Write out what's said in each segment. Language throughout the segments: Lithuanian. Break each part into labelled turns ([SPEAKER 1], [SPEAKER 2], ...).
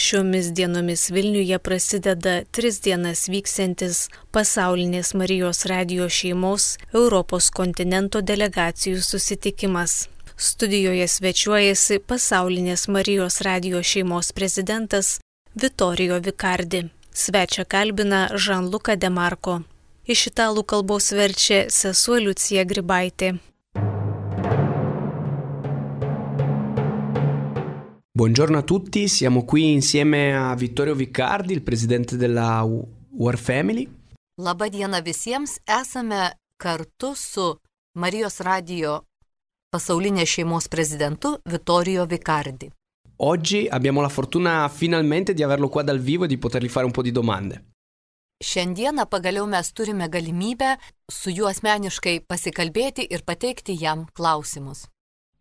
[SPEAKER 1] Šiomis dienomis Vilniuje prasideda 3 dienas vyksiantis pasaulinės Marijos radijo šeimos Europos kontinento delegacijų susitikimas. Studijoje svečiuojasi pasaulinės Marijos radijo šeimos prezidentas Vittorio Vicardi. Svečią kalbina Gianluca De Marco. Iš italų kalbos verčia sesuo Liucija Grybaitė.
[SPEAKER 2] Buongiorno a tutti, siamo qui insieme a Vittorio Vicardi, il presidente della War Family.
[SPEAKER 3] Labą dieną visiems, esame kartu su Marijos radijo pasaulinės šeimos prezidentu Vittorio Vicardi.
[SPEAKER 2] Oggi abbiamo la fortuna finalmente di averlo qua dal vivo e di potergli fare un po' di domande.
[SPEAKER 3] Šiandieną pagaliau mes turime galimybę su juo asmeniškai pasikalbėti ir pateikti jam klausimus.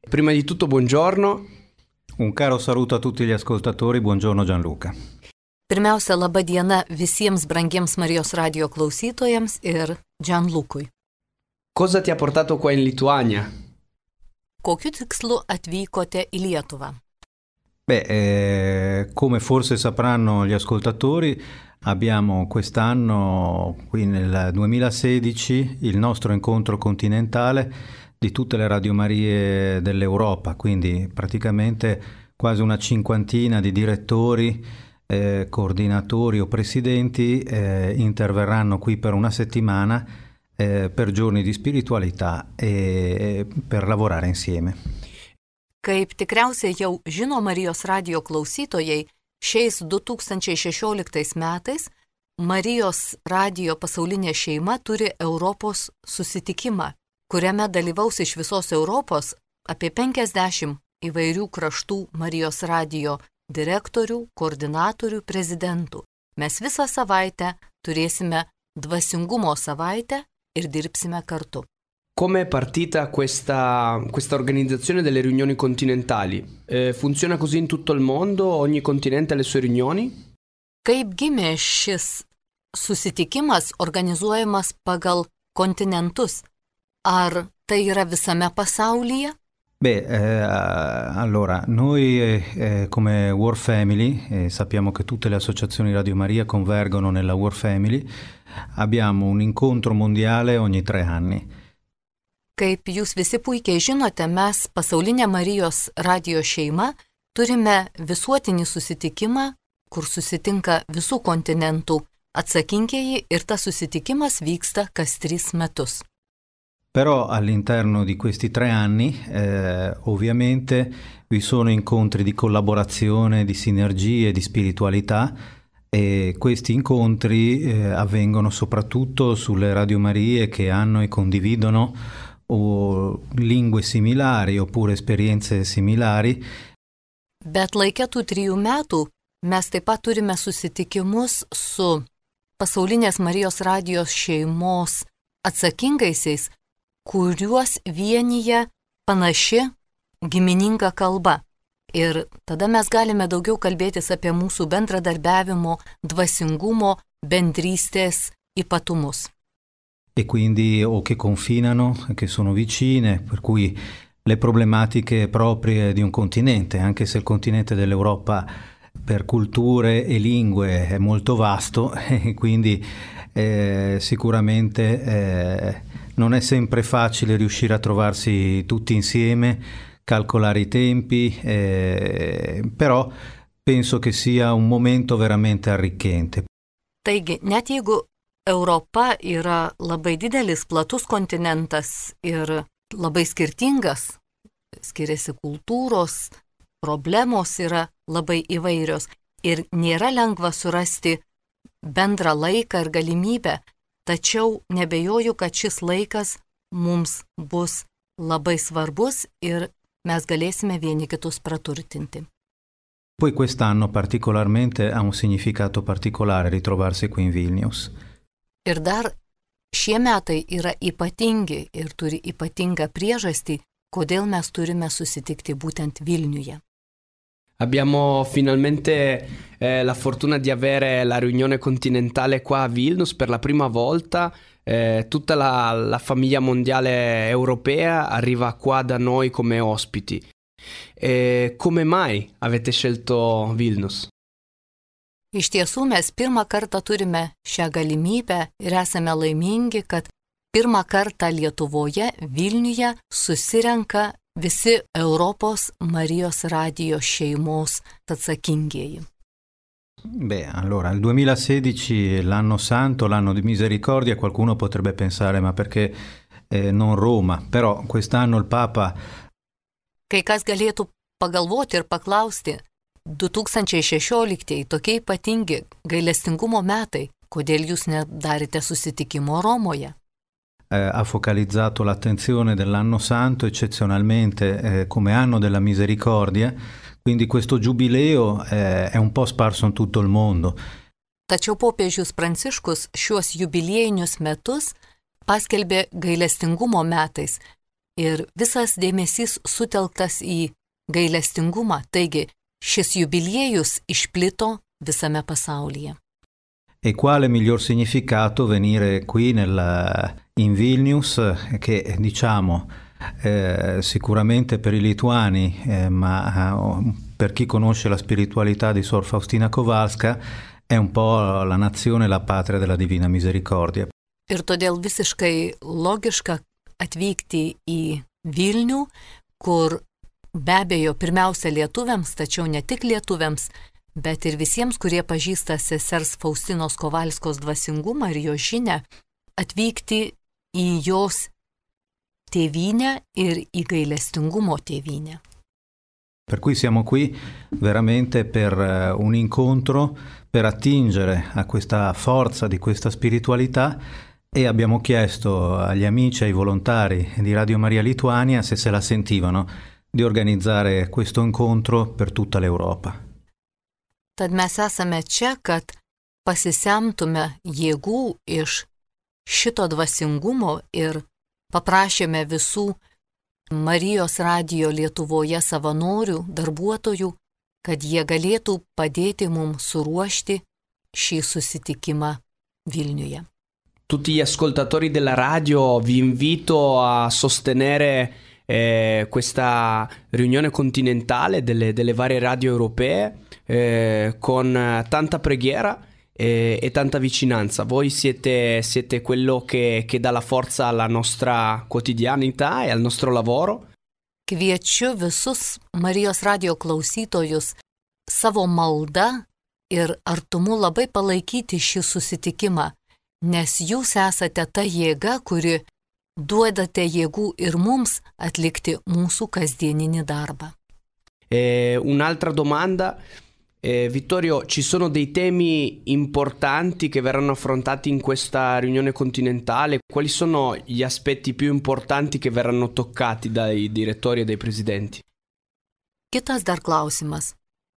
[SPEAKER 2] Prima di tutto, buongiorno.
[SPEAKER 4] Un caro saluto a tutti gli ascoltatori, buongiorno Gianluca.
[SPEAKER 3] Pirmiausia, laba diena visiems brangiems Marijos radijo klausytojams ir Gianlucui.
[SPEAKER 2] Cosa ti ha portato qua in Lituania?
[SPEAKER 3] Kokiu tikslu atvykote į Lietuvą?
[SPEAKER 4] Come forse sapranno gli ascoltatori, abbiamo quest'anno, qui nel 2016, il nostro incontro continentale di tutte le radiomarie dell'Europa, quindi praticamente quasi una cinquantina di direttori, coordinatori o presidenti interverranno qui per una settimana per giorni di spiritualità e per lavorare insieme.
[SPEAKER 3] Kaip tikriausiai jau žino Marijos radijo klausytojai, šiais 2016 metais Marijos radijo pasaulinė šeima turi Europos susitikimą, kuriame dalyvaus iš visos Europos apie 50 įvairių kraštų Marijos radijo direktorių, koordinatorių, prezidentų. Mes visą savaitę turėsime dvasingumo savaitę ir dirbsime kartu.
[SPEAKER 2] Come è partita questa organizzazione delle riunioni continentali? Funziona così in tutto il mondo? Ogni continente ha le sue riunioni?
[SPEAKER 3] Kaip gimė šis susitikimas organizuojamas pagal kontinentus? Ar tai yra visame pasaulyje?
[SPEAKER 4] Allora, noi come War Family, sappiamo che tutte le associazioni Radio Maria convergono nella War Family, abbiamo un incontro mondiale ogni 3 anni.
[SPEAKER 3] Kaip jūs visi puikiai žinote, mes pasaulinė Marijos radijo šeima turime visuotinį susitikimą, kur susitinka visų kontinentų atsakingieji ir tas susitikimas vyksta kas 3 metus.
[SPEAKER 4] Però all'interno di questi 3 anni ovviamente vi sono incontri di collaborazione, di sinergie, di spiritualità e questi incontri avvengono soprattutto sulle radiomarie che hanno e condividono o lingue similari oppure esperienze similari.
[SPEAKER 3] Bet laike tų 3 metų mes taip pat turime susitikimus su pasaulinės Marijos radijos šeimos atsakingaisiais, kuriuos vienyje panaši gimininga kalba. Ir tada mes galime daugiau kalbėtis apie mūsų bendradarbiavimo, dvasingumo, bendrystės ypatumus.
[SPEAKER 4] E quindi o che confinano, che sono vicine, per cui le problematiche proprie di un continente, anche se il continente dell'Europa per culture e lingue è molto vasto e quindi sicuramente non è sempre facile riuscire a trovarsi tutti insieme, calcolare i tempi, però penso che sia un momento veramente arricchente.
[SPEAKER 3] Taigi, net jeigu Europa yra labai didelis, platus kontinentas ir labai skirtingas, skiriasi kultūros, problemos yra labai įvairios ir nėra lengva surasti bendrą laiką ir galimybę, tačiau nebejoju, kad šis laikas mums bus labai svarbus ir mes galėsime vieni kitus praturtinti.
[SPEAKER 4] Poi quest'anno particolarmente ha un significato particolare ritrovarsi qui in Vilnius.
[SPEAKER 3] Ir dar šie metai yra ypatingi ir turi ypatingą priežastį, kodėl mes turime susitikti būtent Vilniuje.
[SPEAKER 2] Abbiamo finalmente la fortuna di avere la riunione continentale qua a Vilnius per la prima volta. Tutta la famiglia mondiale europea arriva qua da noi come ospiti. Come mai avete scelto Vilnius?
[SPEAKER 3] Iš tiesų mes pirmą kartą turime šią galimybę ir esame laimingi, kad pirmą kartą Lietuvoje, Vilniuje susirenka visi Europos Marijos radijo šeimos atsakingieji.
[SPEAKER 4] Beh, allora, il 2016 è l'anno santo, l'anno di misericordia, qualcuno potrebbe pensare, ma perché non Roma? Però quest'anno il Papa...
[SPEAKER 3] Kai kas galėtų pagalvoti ir paklausti, 2016 tokie ypatingi gailestingumo metai, kodėl jūs nedarėte susitikimo Romoje?
[SPEAKER 4] Ha focalizzato l'attenzione dell'anno santo eccezionalmente come anno della misericordia, quindi questo giubileo è un po' sparso in tutto il mondo.
[SPEAKER 3] Tačiau popiežius Pranciškus šiuos jubiliejinius metus paskelbė gailestingumo metais ir visas dėmesys sutelktas į gailestingumą, taigi šis jubiliejus išplito visame pasaulyje.
[SPEAKER 4] E quale miglior significato venire qui in Vilnius, che diciamo sicuramente per i lituani, ma per chi conosce la spiritualità di Sor Faustina Kowalska, è un po' la nazione, la patria della Divina Misericordia.
[SPEAKER 3] Ir todėl visiškai logiška atvykti į Vilnių, kur be abejo pirmiausia lietuviams, tačiau ne tik lietuviams, bet ir visiems, kurie pažįsta sesers Faustinos Kowalskos dvasingumą ir jo žinią, atvykti į jos tėvynę ir į gailestingumo tėvynę.
[SPEAKER 4] Per cui siamo qui veramente per un incontro, per attingere a questa forza di questa spiritualità, e abbiamo chiesto agli amici, ai volontari di Radio Maria Lituania, se la sentivano, di organizzare questo incontro per tutta l'Europa.
[SPEAKER 3] Tad mes esame čia, kad pasisemtume jėgų iš šito dvasingumo ir paprašėme visų Marijos radijo Lietuvoje savanorių, darbuotojų, kad jie galėtų padėti mums suruošti šį susitikimą Vilniuje.
[SPEAKER 2] Tutti gli ascoltatori della radio vi invito a sostenere questa riunione continentale delle varie radio europee con tanta preghiera e tanta vicinanza. Voi siete quello che dà la forza alla nostra quotidianità e al nostro lavoro.
[SPEAKER 3] Kviečiu visus Marijos radijo klausytojus savo malda ir artumu labai palaikyti šį susitikimą, nes jūs esate ta jėga, kuri duodate jėgų ir mums atlikti mūsų kasdieninį darbą.
[SPEAKER 2] Un'altra domanda. Vittorio, ci sono dei temi importanti che verranno affrontati in questa riunione continentale? Quali sono gli aspetti più importanti che verranno toccati dai direttori e dai presidenti?
[SPEAKER 3] Kitas dar klausimas.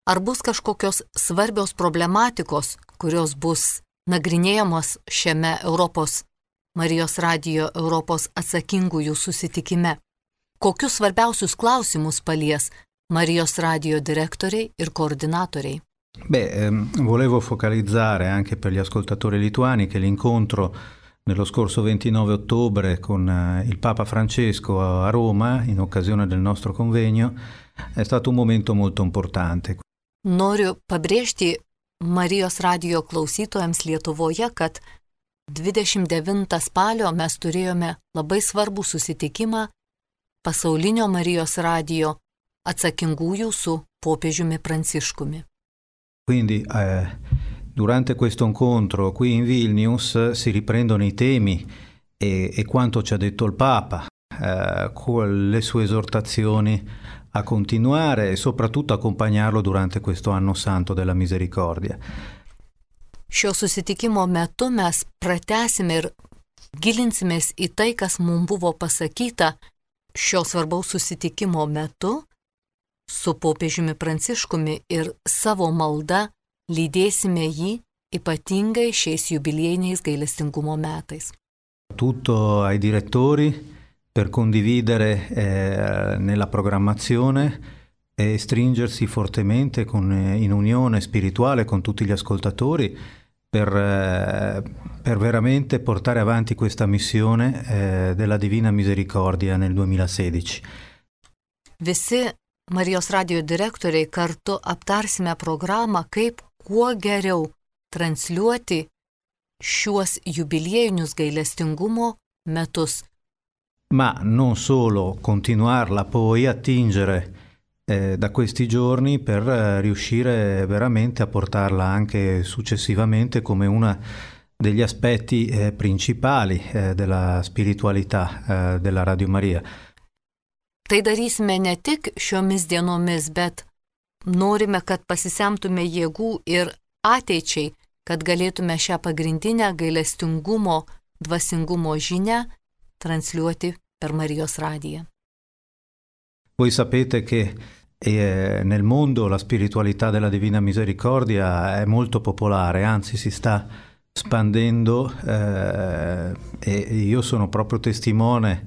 [SPEAKER 3] Ar bus kažkokios svarbios problematikos, kurios bus nagrinėjamos šiame Europos Marijos radijo Europos atsakingųjų susitikime? Kokius svarbiausius klausimus palies Marijos radijo direttoriai ir coordinatoriai?
[SPEAKER 4] Volevo focalizzare anche per gli ascoltatori lituani che l'incontro nello scorso 29 ottobre con il Papa Francesco a Roma, in occasione del nostro convegno, è stato un momento molto importante.
[SPEAKER 3] Noriu pabrėžti Marijos radijo klausytojams Lietuvoje, kad 29 spalio mes turėjome labai svarbų susitikimą pasaulinio Marijos radijo atsakingųjų su popiežiumi Pranciškumi.
[SPEAKER 4] Quindi durante questo incontro qui in Vilnius si riprendono i temi e quanto ci ha detto il Papa, con le sue esortazioni a continuare e soprattutto accompagnarlo durante questo anno santo della misericordia.
[SPEAKER 3] Šio susitikimo metu mes pratęsime ir gilinsimės į tai, kas mums buvo pasakyta šio svarbaus susitikimo metu su popiežiumi Pranciškumi ir savo malda lydėsime jį ypatingai šiais jubiliejiniais gailestingumo metais.
[SPEAKER 4] Tutto ai direttori per condividere nella programmazione e stringersi fortemente in unione spirituale con tutti gli ascoltatori per veramente portare avanti questa missione della Divina Misericordia nel 2016.
[SPEAKER 3] Visi Marijos radijo direktoriai kartu aptarsime programą, kaip kuo geriau transliuoti šiuos jubiliejinius gailestingumo metus.
[SPEAKER 4] Ma non solo, continuarla poi attingere da questi giorni per riuscire veramente a portarla anche successivamente come una degli aspetti principali della spiritualità della Radio Maria.
[SPEAKER 3] Tai darysime ne tik šiomis dienomis, bet norime, kad pasisemtume jėgų ir ateičiai, kad galėtume šią pagrindinę gailestingumo, dvasingumo žinią transliuoti per Marijos radiją.
[SPEAKER 4] Voi sapete che nel mondo la spiritualità della Divina Misericordia è molto popolare, anzi si sta spandendo e io sono proprio testimone,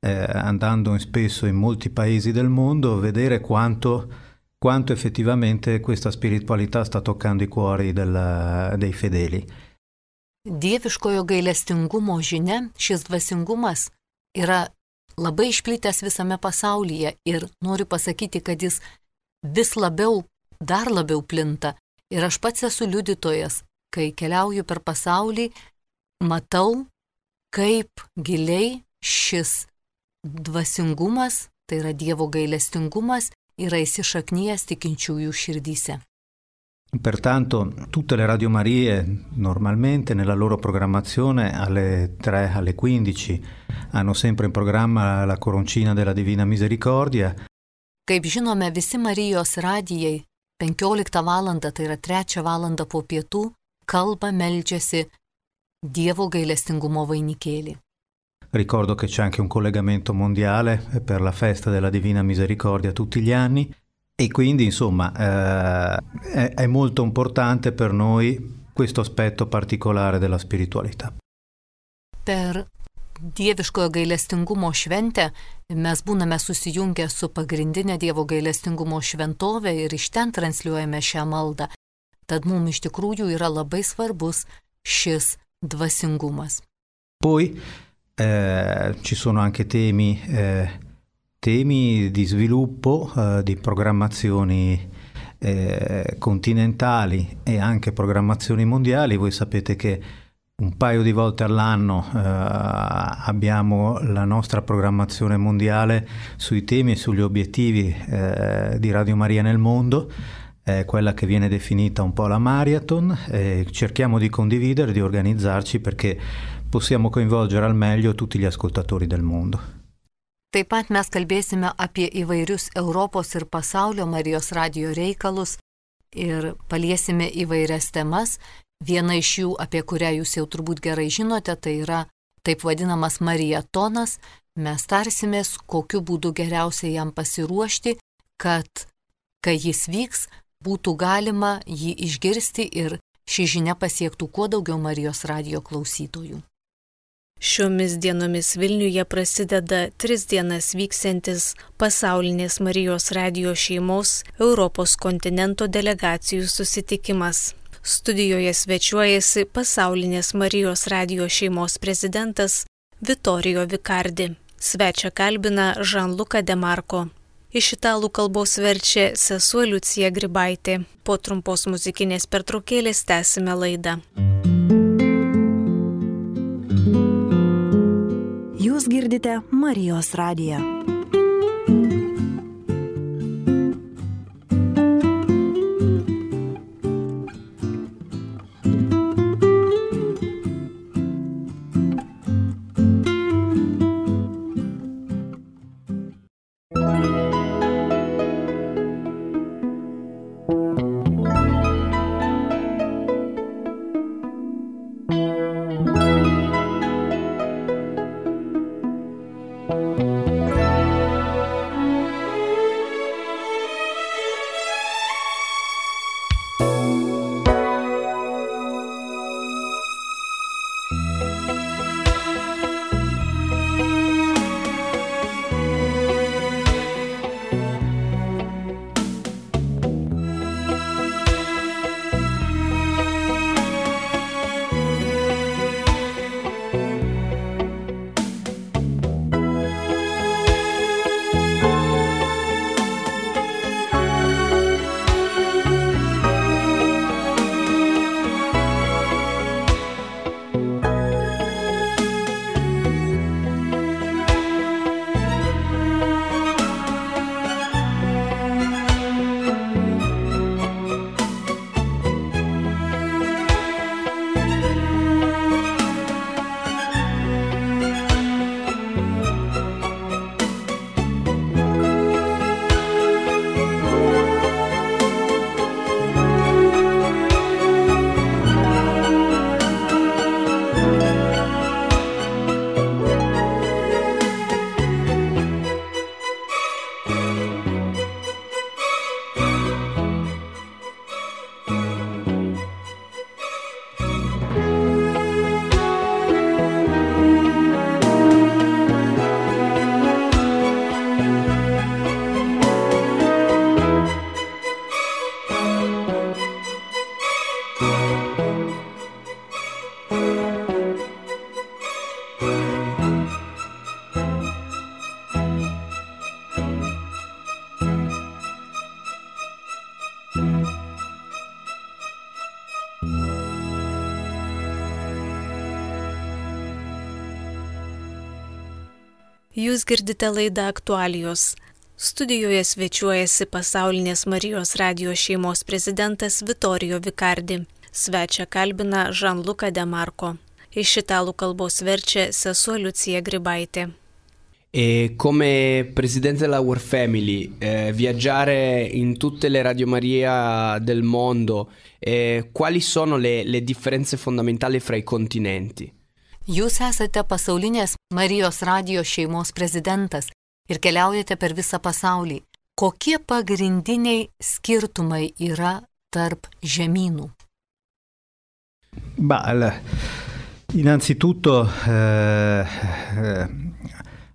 [SPEAKER 4] andando spesso in molti paesi del mondo, vedere quanto effettivamente questa spiritualità sta toccando i cuori dei fedeli.
[SPEAKER 3] Dieviškojo gailestingumo žinia, šis dvasingumas yra labai išplitęs visame pasaulyje ir noriu pasakyti, kad jis vis labiau, dar labiau plinta. Ir aš pats esu liudytojas, kai keliauju per pasaulį, matau, kaip giliai šis dvasingumas, tai yra Dievo gailestingumas, yra įsišaknyjęs tikinčiųjų širdyse.
[SPEAKER 4] Pertanto tutte le Radio Marie normalmente nella loro programmazione alle 3, alle 15 hanno sempre in programma la Coroncina della Divina Misericordia.
[SPEAKER 3] Kaip žinome, visi Marijos radijai 15 valandą, tai yra 3 valandą po pietų, kalba, meldžiasi Dievo gailestingumo vainikėlį.
[SPEAKER 4] Ricordo che c'è anche un collegamento mondiale per la festa della Divina Misericordia tutti gli anni. E quindi, insomma, è molto importante per noi questo aspetto particolare della spiritualità.
[SPEAKER 3] Per Dieviškojo gailestingumo šventę mes būname susijungę su pagrindinė Dievo gailestingumo šventovė ir iš ten transliuojame šią maldą. Tad mums iš tikrųjų yra labai svarbus šis dvasingumas.
[SPEAKER 4] Poi ci sono anche temi di sviluppo, di programmazioni continentali e anche programmazioni mondiali. Voi sapete che un paio di volte all'anno abbiamo la nostra programmazione mondiale sui temi e sugli obiettivi di Radio Maria nel mondo, quella che viene definita un po' la marathon. Cerchiamo di condividere, di organizzarci perché possiamo coinvolgere al meglio tutti gli ascoltatori del mondo.
[SPEAKER 3] Taip pat mes kalbėsime apie įvairius Europos ir pasaulio Marijos radijo reikalus ir paliesime įvairias temas. Viena iš jų, apie kurią jūs jau turbūt gerai žinote, tai yra taip vadinamas mariatonas. Mes tarsimės, kokiu būdu geriausiai jam pasiruošti, kad, kai jis vyks, būtų galima jį išgirsti ir ši žinia pasiektų kuo daugiau Marijos radijo klausytojų.
[SPEAKER 1] Šiomis dienomis Vilniuje prasideda 3 dienas vyksiantis pasaulinės Marijos radijo šeimos Europos kontinento delegacijų susitikimas. Studijoje svečiuojasi pasaulinės Marijos radijo šeimos prezidentas Vittorio Vicardi. Svečią kalbina Gianluca De Marco. Iš italų kalbos verčia sesuo Liucija Grybaitė. Po trumpos muzikinės pertraukėlės tęsime laidą.
[SPEAKER 5] Jūs girdite Marijos radiją.
[SPEAKER 1] Jūs girdite laidą Aktualijos. Studijoje svečiuojasi Pasaulinės Marijos radijo šeimos prezidentas Vittorio Vicardi. Svečią kalbina Gianluca De Marco. Iš italų kalbos verčia sesuo Liucija Gribaitė.
[SPEAKER 2] E come presidente della Our Family, viaggiare in tutte le Radio Maria del mondo, quali sono le differenze fondamentali fra i continenti?
[SPEAKER 3] Jūs esate Pasaulinės Marijos radijo šeimos prezidentas ir keliaujate per visą pasaulį. Kokie pagrindiniai skirtumai yra tarp žemynų?
[SPEAKER 4] Innanzitutto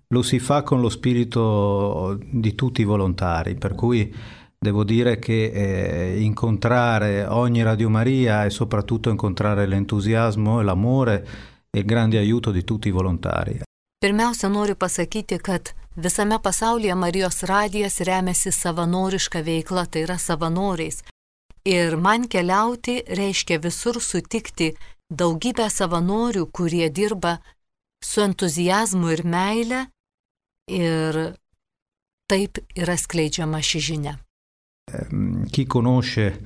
[SPEAKER 4] lo si fa con lo spirito di tutti i volontari, per cui devo dire che incontrare ogni Radio Maria e soprattutto incontrare l'entusiasmo e l'amore e il grande aiuto di tutti i volontari.
[SPEAKER 3] Pirmiausia, noriu pasakyti, kad visame pasaulyje Marijos radijas remiasi savanoriška veikla, tai yra savanoriais. Ir man keliauti reiškia visur sutikti daugybę savanorių, kurie dirba su entuziazmu ir meile, ir taip yra skleidžiama ši žinia.
[SPEAKER 4] Chi conosce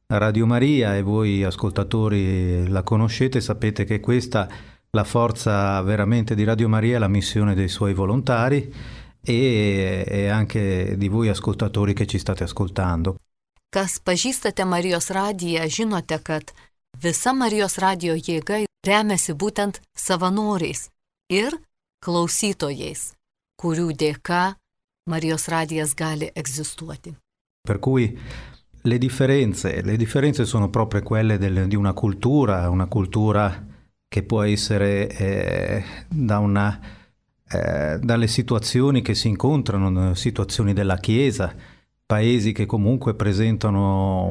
[SPEAKER 4] Radio Maria e voi ascoltatori la conoscete, sapete che questa la forza veramente di Radio Maria è la missione dei suoi volontari e anche di voi ascoltatori che ci state ascoltando.
[SPEAKER 3] Kas pažįstate Marijos radiją, žinote, kad visa Marijos radijo jėga remiasi būtent savanoriais ir klausytojais, kurių dėka Marijos radijas gali egzistuoti.
[SPEAKER 4] Per cui le differenze sono proprio quelle di una cultura che può essere dalle situazioni che si incontrano, situazioni della Chiesa, paesi che comunque presentano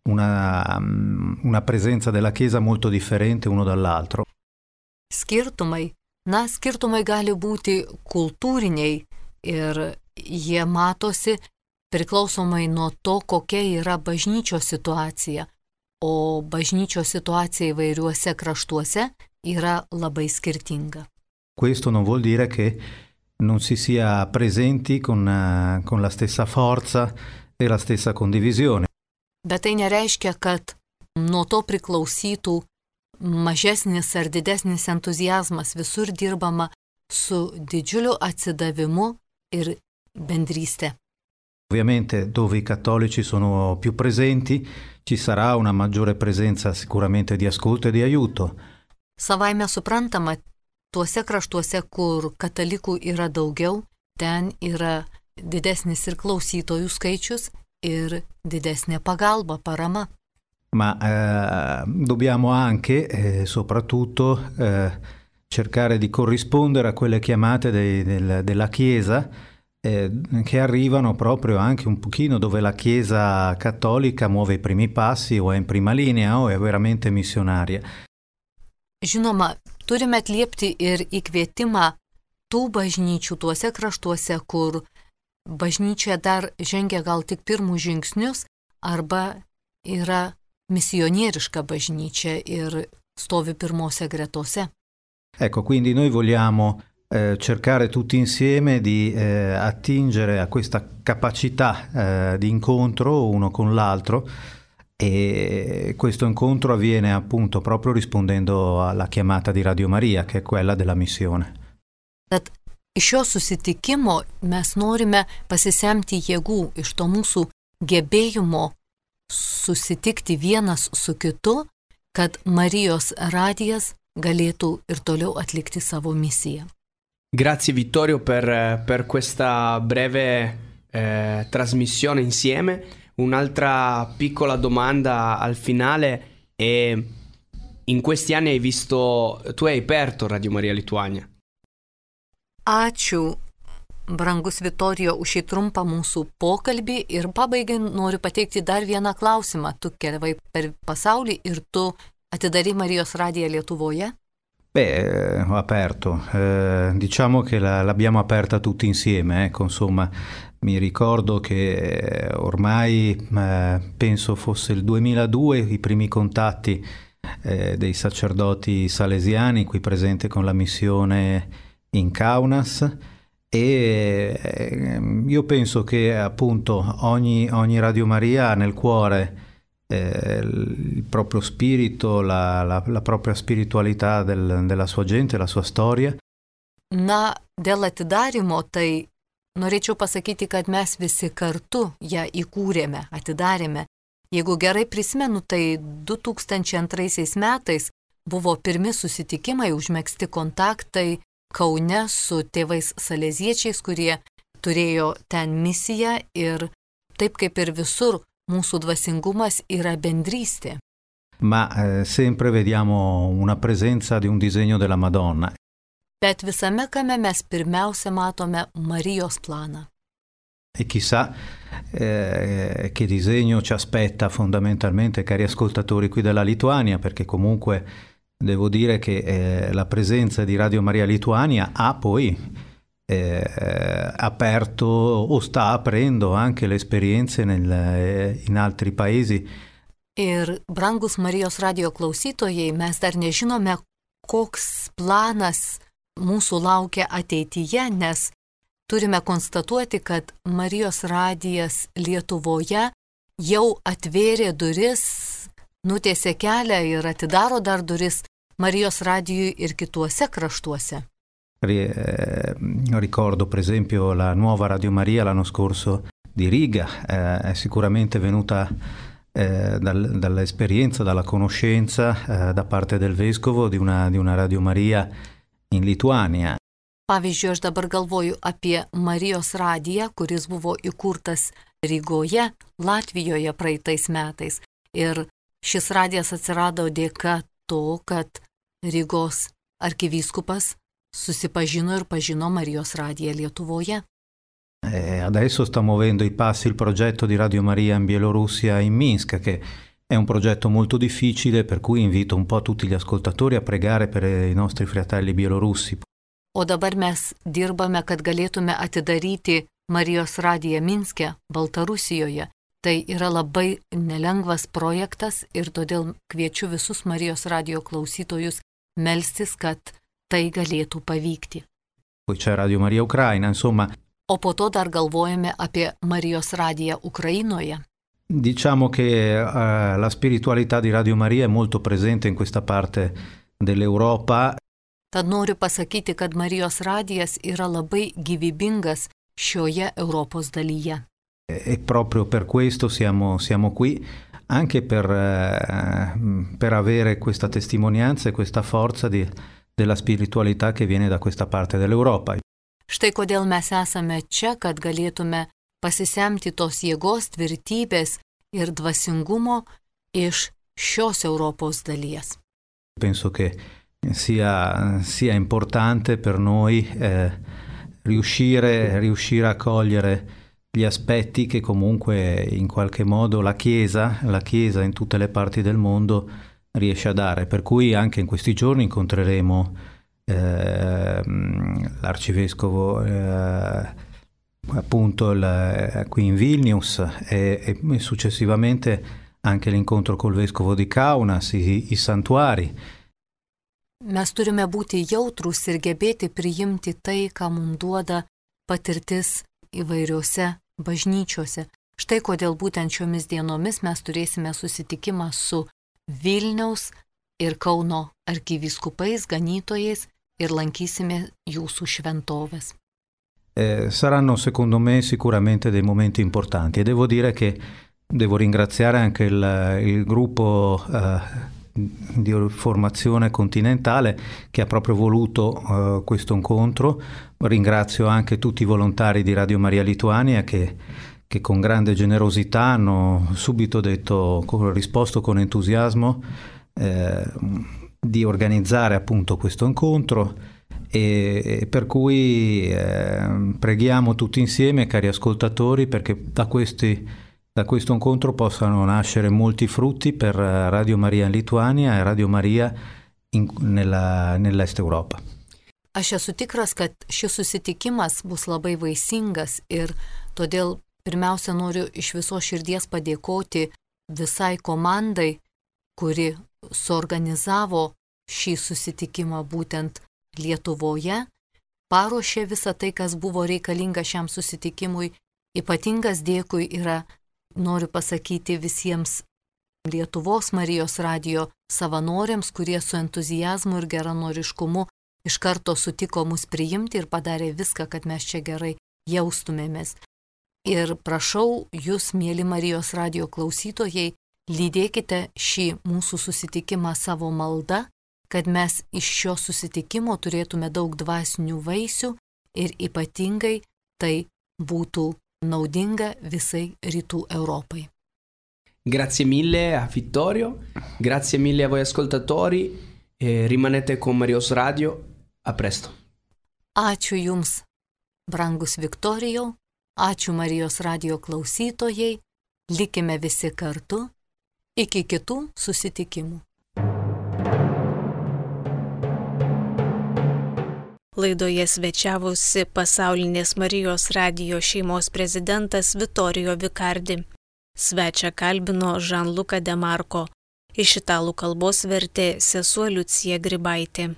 [SPEAKER 4] una presenza della Chiesa molto differente uno dall'altro.
[SPEAKER 3] Skirtumai gali būti kultūriniai ir jie matosi priklausomai nuo to, kokia yra bažnyčios situacija, o bažnyčios situacija įvairiuose kraštuose yra labai skirtinga.
[SPEAKER 4] Questo non vuol dire che non si sia presenti con la stessa forza e la stessa condivisione.
[SPEAKER 3] Bet tai nereiškia, kad nuo to priklausytų mažesnis ar didesnis entuziazmas, visur dirbama su didžiuliu atsidavimu ir bendrystė.
[SPEAKER 4] Ovviamente dove i cattolici sono più presenti ci sarà una maggiore presenza sicuramente di ascolto e di aiuto.
[SPEAKER 3] Savaime suprantama, tuose kraštuose, kur katalikų yra daugiau, ten yra didesnis ir klausytojų skaičius ir didesnė pagalba, parama.
[SPEAKER 4] Ma dobbiamo anche soprattutto cercare di corrispondere a quelle chiamate della Chiesa che arrivano proprio anche un pochino dove la Chiesa cattolica muove i primi passi o è in prima linea o è veramente missionaria.
[SPEAKER 3] Žinoma, turime atliepti ir įkvietimą tų bažnyčių tuose kraštuose, kur bažnyčia dar žengia gal tik pirmus žingsnius arba yra misionieriška bažnyčia ir stovi pirmose gretose.
[SPEAKER 4] Ecco, quindi noi vogliamo cercare tutti insieme di attingere a questa capacità di incontro uno con l'altro e questo incontro avviene appunto proprio rispondendo alla chiamata di Radio Maria, che è quella della missione.
[SPEAKER 3] Tad iš šio susitikimo mes norime pasisemti jėgų iš to mūsų gebėjimo susitikti vienas su kitu, kad Marijos radijas galėtų ir toliau atlikti savo misiją.
[SPEAKER 2] Grazie Vittorio per questa breve trasmissione insieme. Un'altra piccola domanda al finale è: in questi anni tu hai aperto Radio Maria Lituania.
[SPEAKER 3] Ačiū, brangus Vittorio, už šį trumpą mūsų pokalbį ir pabaigai noriu pateikti dar vieną klausimą. Tu keliavai per pasaulį ir tu atidarei Marijos radiją Lietuvoje?
[SPEAKER 4] Ho aperto, diciamo che l'abbiamo aperta tutti insieme, insomma, mi ricordo che ormai penso fosse il 2002 i primi contatti dei sacerdoti salesiani qui presenti con la missione in Kaunas, e io penso che appunto ogni Radio Maria ha nel cuore il proprio spirito, la propria spiritualità della sua gente, la sua storia.
[SPEAKER 3] Na, dėl atidarymo, tai norėčiau pasakyti, kad mes visi kartu ją įkūrėme, atidarėme. Jeigu gerai prisimenu, tai 2002 metais buvo pirmi susitikimai, užmegzti kontaktai Kaune su tėvais saleziečiais, kurie turėjo ten misiją, ir taip kaip ir visur, mūsų dvasingumas yra bendrystė.
[SPEAKER 4] Ma sempre vediamo una presenza di un disegno della Madonna.
[SPEAKER 3] Bet visame kame mes pirmiausia matome Marijos planą.
[SPEAKER 4] E chissà che disegno ci aspetta fondamentalmente, cari ascoltatori, qui dalla Lituania, perché comunque devo dire che la presenza di Radio Maria Lituania ha poi aperto o sta aprendo anche le esperienze in altri paesi.
[SPEAKER 3] Ir brangus Marijos radijo klausytojai, mes dar nežinome, koks planas mūsų laukia ateityje, nes turime konstatuoti, kad Marijos radijas Lietuvoje jau atvėrė duris, nutiesė kelią ir atidaro dar duris Marijos radijui ir kituose kraštuose.
[SPEAKER 4] Ricordo per esempio la nuova Radio Maria l'anno scorso di Riga, è sicuramente venuta dall'esperienza, dalla conoscenza da parte del vescovo di una Radio Maria in Lituania.
[SPEAKER 3] Pavyzdžiui, aš dabar galvoju apie Marijos radiją, kuris buvo įkurtas Rygoje, Latvijoje praeitais metais. Ir šis radijas atsirado dėka to, kad Rygos arkivyskupas susipažino ir pažino Marijos radiją Lietuvoje.
[SPEAKER 4] Adesso sta muovendo i passi il progetto di Radio Maria in Bielorussia, in Minsk, che è un progetto molto difficile, per cui invito un po' tutti gli ascoltatori a pregare per i nostri fratelli bielorussi.
[SPEAKER 3] O dabar mes dirbame, kad galėtume atidaryti Marijos radiją Minske, Baltarusijoje. Tai yra labai nelengvas projektas ir todėl kviečiu visus Marijos radijo klausytojus melstis, kad tai galėtų pavykti.
[SPEAKER 4] Poi c'è Radio Maria Ucraina, insomma.
[SPEAKER 3] O po to dar galvojame apie Marijos radiją Ukrainoje.
[SPEAKER 4] Diciamo che la spiritualità di Radio Maria è molto presente in questa parte dell'Europa.
[SPEAKER 3] Tad noriu pasakyti, kad Marijos radijas yra labai gyvybingas šioje Europos dalyje.
[SPEAKER 4] E proprio per questo siamo qui, anche per avere questa testimonianza e questa forza della spiritualità che viene da questa parte dell'Europa.
[SPEAKER 3] Štai kodėl mes esame čia, kad galėtume pasisemti tos jėgos, tvirtybės ir dvasingumo iš šios Europos dalies.
[SPEAKER 4] Penso che sia importante per noi riuscire a cogliere gli aspetti che comunque in qualche modo la Chiesa in tutte le parti del mondo riesce a dare. Per cui anche in questi giorni incontreremo l'arcivescovo appunto qui in Vilnius e successivamente anche l'incontro col vescovo di Kaunas, i santuari.
[SPEAKER 3] Mes turime būti jautrūs ir gebėti priimti tai, ką mums duoda patirtis įvairiose bažnyčiose. Štai kodėl būtent šiomis dienomis mes turėsime susitikimą su Vilniaus ir Kauno arkivyskupais, ganytojais ir lankysime jūsų šventoves.
[SPEAKER 4] Saranno secondo me sicuramente dei momenti importanti e devo dire che devo ringraziare anche il gruppo di formazione continentale che ha proprio voluto questo incontro. Ringrazio anche tutti i volontari di Radio Maria Lituania che con grande generosità hanno subito risposto con entusiasmo di organizzare appunto questo incontro e per cui preghiamo tutti insieme, cari ascoltatori, perché da questo incontro possano nascere molti frutti per Radio Maria in Lituania e Radio Maria nell'Est Europa.
[SPEAKER 3] Aš esu tikras, kad šis susitikimas bus labai vaisingas ir todėl pirmiausia noriu iš visos širdies padėkoti visai komandai, kuri suorganizavo šį susitikimą būtent Lietuvoje, paruošė visą tai, kas buvo reikalinga šiam susitikimui. Ypatingas dėkui yra, noriu pasakyti, visiems Lietuvos Marijos radijo savanoriams, kurie su entuzijazmu ir geranoriškumu iš karto sutiko mus priimti ir padarė viską, kad mes čia gerai jaustumėmės. Ir prašau jūs, mėly Marijos radijo klausytojai, lydėkite šį mūsų susitikimą savo malda, kad mes iš šio susitikimo turėtume daug dvasinių vaisių ir ypatingai tai būtų naudinga visai Rytų Europai.
[SPEAKER 2] Grazie mille a Vittorio, grazie mille a voi ascoltatori e rimanete con Marijos Radio. A presto.
[SPEAKER 3] Ačiū Jums, brangus Viktorijau, ačiū Marijos radijo klausytojai, likime visi kartu, iki kitų susitikimų.
[SPEAKER 1] Laidoje svečiavosi Pasaulinės Marijos radijo šeimos prezidentas Vittorio Vicardi. Svečią kalbino Žanluka Demarko. Iš italų kalbos vertė sesuo Liucija Grybaitė.